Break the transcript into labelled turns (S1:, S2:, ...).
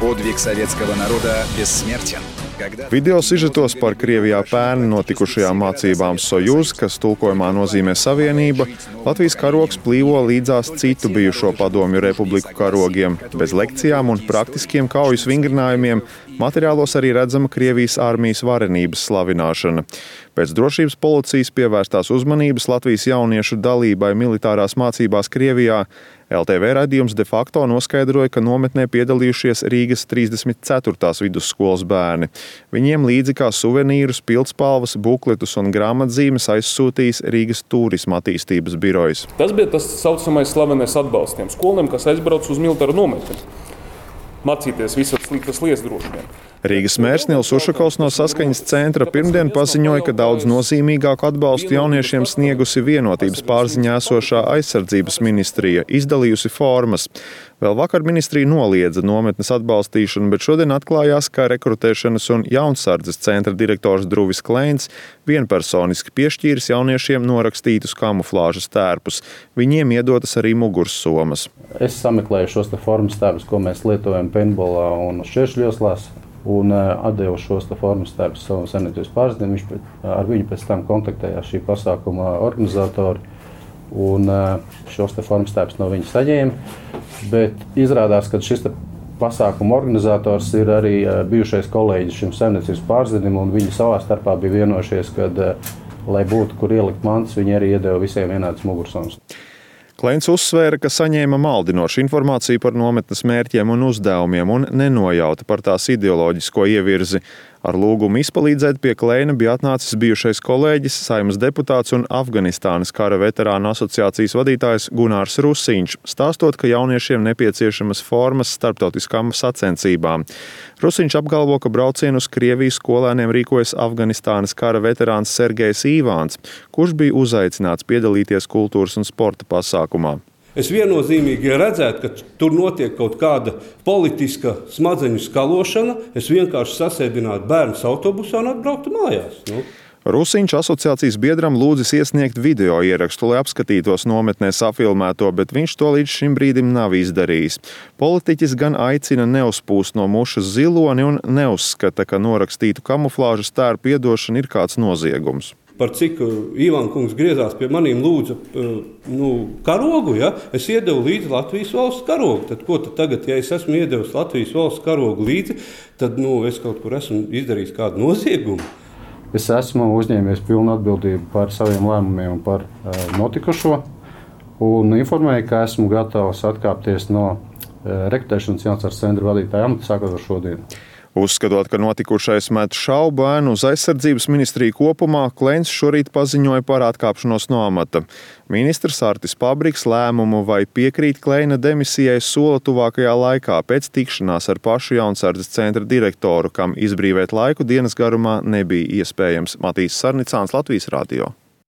S1: Подвиг советского народа бессмертен.
S2: Video sižetos par Krievijā pērn notikušajām mācībām Sojuz, kas tulkojumā nozīmē Savienība, Latvijas karogs plīvo līdzās citu bijušo padomju republiku karogiem. Bez lekcijām un praktiskiem kaujas vingrinājumiem materiālos arī redzama Krievijas armijas varenības slavināšana. Pēc drošības policijas pievērstās uzmanības Latvijas jauniešu dalībai militārās mācībās Krievijā LTV raidījums de facto noskaidroja, ka nometnē piedalījušies Rīgas 34. vidusskolas bērni. Viņiem līdzi kā suvenīrus, pildspalvas, bukletus un grāmatzīmes aizsūtījis Rīgas turisma attīstības birojs.
S3: Tas bija tas saucamais slavenais atbalsts tiem skolēniem, kas aizbrauc uz militāru nometni. Mācīties visas sliktas lietas droši vien.
S2: Rīgas mērs Nils Ušakovs no Saskaņas centra pirmdien paziņoja, ka daudz nozīmīgāku atbalstu jauniešiem sniegusi vienotības pārziņā esošā aizsardzības ministrija, izdalījusi formas. Vēl vakar ministrija noliedza nometnes atbalstīšanu, bet šodien atklājās, ka rekrutēšanas un jaunsardzes centra direktors Druvis Kleins vienpersoniski piešķīris jauniešiem norakstītus kamuflāžas tērpus. Viņiem iedotas arī mugursomas.
S4: Es sameklēju šos formas tērpus, ko mēs lietojam paintballā un šķēršļoslās, un atdevu šos formas tērpus savam saimniecības pārzinim. Ar viņu pēc tam kontaktējās šī pasākuma organizatori, un šos formas tērpus no viņa saņēma. Bet izrādās, ka šis pasākuma organizators ir arī bijušais kolēģis šim saimniecības pārzinim, un viņi savā starpā bija vienojušies, ka, lai būtu kur ielikt mantas, viņi arī iedeva visiem vienādas mugursomas.
S2: Kleins uzsvēra, ka saņēma maldinošu informāciju par nometnes mērķiem un uzdevumiem un nenojauta par tās ideoloģisko ievirzi. Ar lūgumu izpalīdzēt pie Kleina bija atnācis bijušais kolēģis, Saeimas deputāts un Afganistānas kara veterānu asociācijas vadītājs Gunārs Rusiņš, stāstot, ka jauniešiem nepieciešamas formas starptautiskām sacensībām. Rusiņš apgalvo, ka braucienu uz Krieviju skolēniem rīkojas Afganistānas kara veterāns Sergejs Īvāns, kurš bija uzaicināts piedalīties kultūras un sporta pasākumā.
S5: Es viennozīmīgi redzētu, ka tur notiek kaut kāda politiska smadzeņu skalošana. Es vienkārši sasēdinātu bērnus autobusā un atbrauktu mājās.
S2: Rusiņš asociācijas biedram lūdzis iesniegt video ierakstu, lai apskatītos nometnē safilmēto, bet viņš to līdz šim brīdim nav izdarījis. Politiķis gan aicina neuzpūst no mušas ziloni un neuzskata, ka norakstītu kamuflāžas tērpu iedošana ir kāds noziegums.
S5: Par cik Īvāna kungs griezās pie maniem lūdza karogu, ja? Es iedevu līdzi Latvijas valsts karogu. Tad ko tad tagad, ja es esmu iedevis Latvijas valsts karogu līdzi, tad es kaut kur esmu izdarījis kādu noziegumu?
S4: Es esmu uzņēmies pilnu atbildību par saviem lēmumiem un par notikušo, un informēju, ka esmu gatavs atkāpties no rekrutēšanas jaunsardzes centra vadītāja amata sākot ar šodienu.
S2: Uzskatot, ka notikušais met šaubu ēnu uz aizsardzības ministriju kopumā, Kleins šorīt paziņoja par atkāpšanos no amata. Ministrs Artis Pabriks lēmumu vai piekrīt Kleina demisijai sola tuvākajā laikā pēc tikšanās ar pašu jaunsardzes centra direktoru, kam izbrīvēt laiku dienas garumā nebija iespējams. Matīs Sarnicāns, Latvijas radio.